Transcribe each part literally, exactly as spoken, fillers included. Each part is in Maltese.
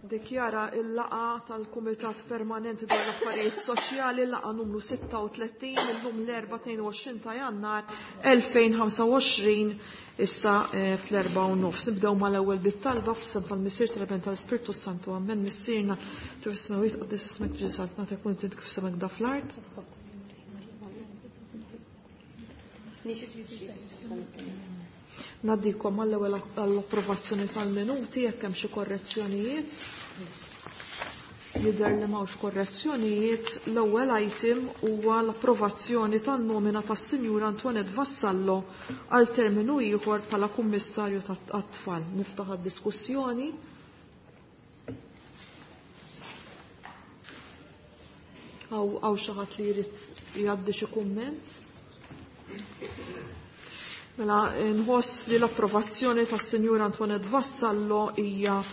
Dikjara il-laqgħa tal-Kumitat Permanenti dwar l-Affarijiet Soċjali, laqgħa numru sitta u tletin, illum l-Erbgħa tnejn u għoxrin ta' Jannar elfejn ħamsa u għoxrin, issa, eh, fl-erbgħa u nofs. Nibdew mal-ewwel bit-talba f'isem tal-Missier, tal-Iben, tal-Ispirtu Santu. Amen. Missierna kif is-smewwiet, qaddis ismek, tiġi saltnatek, kun trid kif semek da fl-art. Naddikom għall-ewwel għall-approvazzjoni tal-minuti, jekk hemm xi korrezzjonijiet. Jidher li m'hawnx korrezzjonijiet. L-ewwel item huwa l-approvazzjoni tan-nomina tas-Sinjura Antoinette Vassallo għal terminu ieħor bħala Kummissarju tat-Tfal. Niftaħ għad-diskussjoni. Hawn xi ħadd li jrid jgħaddi xi kumment? Mela, nħoss li l-approvazzjoni tas-Sinjura Antoinette Vassallo hija,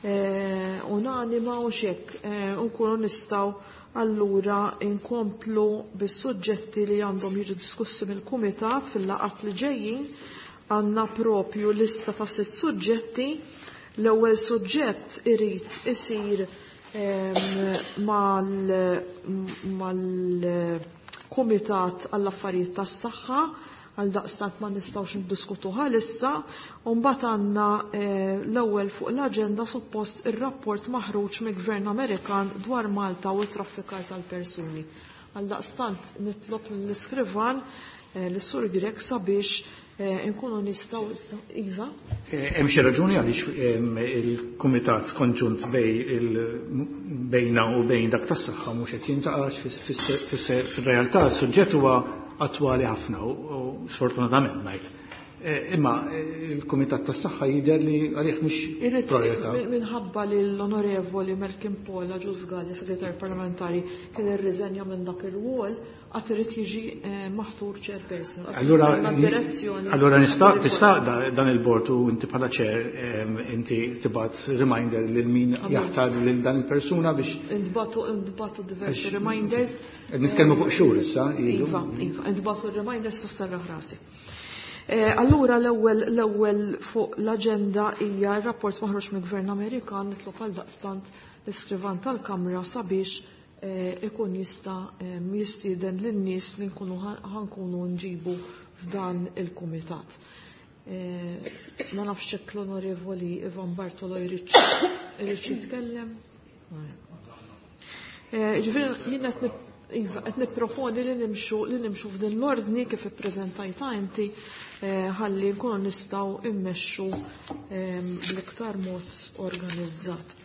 eh, unanima u xek, eh, nkunu nistgħu allura nkomplu bis-suġġetti li għandhom jiġu diskussi mill-Kumitat fil-laqgħat li ġejjin. Għandna propju lista ta' sitt suġġetti. L-ewwel suġġett irid isir, ehm, mal-, mal-Kumitat għall-Affarijiet tas-Saħħa, għal daqstant ma nistgħux niddiskutuha issa, u mbagħad għandna, eh, l-ewwel fuq l-aġenda suppost ir-rapport maħruġ mill-Gvern Amerikan dwar Malta u t-traffikar tal-persuni. Għal daqstant nitlob lill-iskrivan, eh, lis-Sur Grech sabiex, eh, nkunu nistgħu issa, Iva? Eh, hemm xi raġuni għaliex, ehm, il-Kumitat Konġunt bej il-, bejna u bejn dak tas-saħħa mhux qed jintaqax fis-realtà s-suġġett huwa attwali ħafna u, u sfortunatament ngħid. Eh, imma, eh, il-Kumitat tas-Saħħa jidher li għalih mhux Irrid priorità. min-, minħabba li l-Onorevoli Melvin Paul Agius Galea, segretarju parlamentari, kien irriżenja minn dak ir-rwol, għad irid jiġi, eh, maħtur chairperson. Għad Allura, jistenna d-direzzjoni. allura nista', tista' da-, dan il-bord u inti bħala chair, ehm, inti tibgħat reminder lil min Amen. jaħtar lil dan il-persuna biex Intbagħtu, intbagħtu diversi Għax reminders. Qed nitkellmu fuq xhur issa, ilu. Iva, iva, intbagħtu reminders tas-serraħ rasi. Eh, allura l-ewwel, l-ewwel fuq l-aġenda hija r-rapport maħruġ mill-Gvern Amerikan. Nitlob għal daqstant l-iskrivan tal-Kamra sabiex, eh, ikun jista', eh, jistieden lin-nies li nkunu ħa-, ħankunu nġibu f'dan il-kumitat. Eh, ma nafx hekk l-Onorevoli Ivan Bartolo jrid, jrid jitkellem. Eh, ġifieri jien qed nip-, iva, qed nipproponi li nimxu, li nimxu f'din l-ordni kif ippreżentajta inti, eh, ħalli nkunu nistgħu immexxu, ehm, bl-iktar mod organizzat.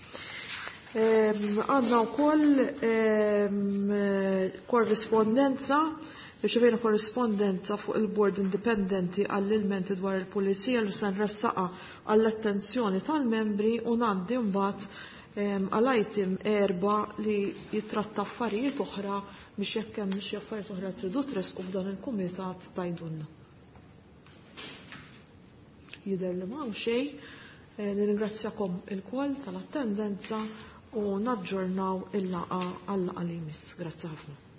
Ehm, għandna wkoll, ehm, korrispondenza, riċevejna korrispondenza fuq il-Bord Indipendenti għall-ilmenti dwar il-Pulizija li se nressaqa għall-attenzjoni tal-membri u ngħaddi mbagħad, ehm, għal item erba' li jitratta affarijiet oħra biex jekk hemm xi affarijiet oħra tridu tresqu f'dan il-kumitat tajdunna. Jidher li m'hawn xejn. Eh, nirringrazzjakom ilkoll tal-attendenza u naġġornaw il-laqgħa għal-laqgħa li jmiss. Grazzi ħafna.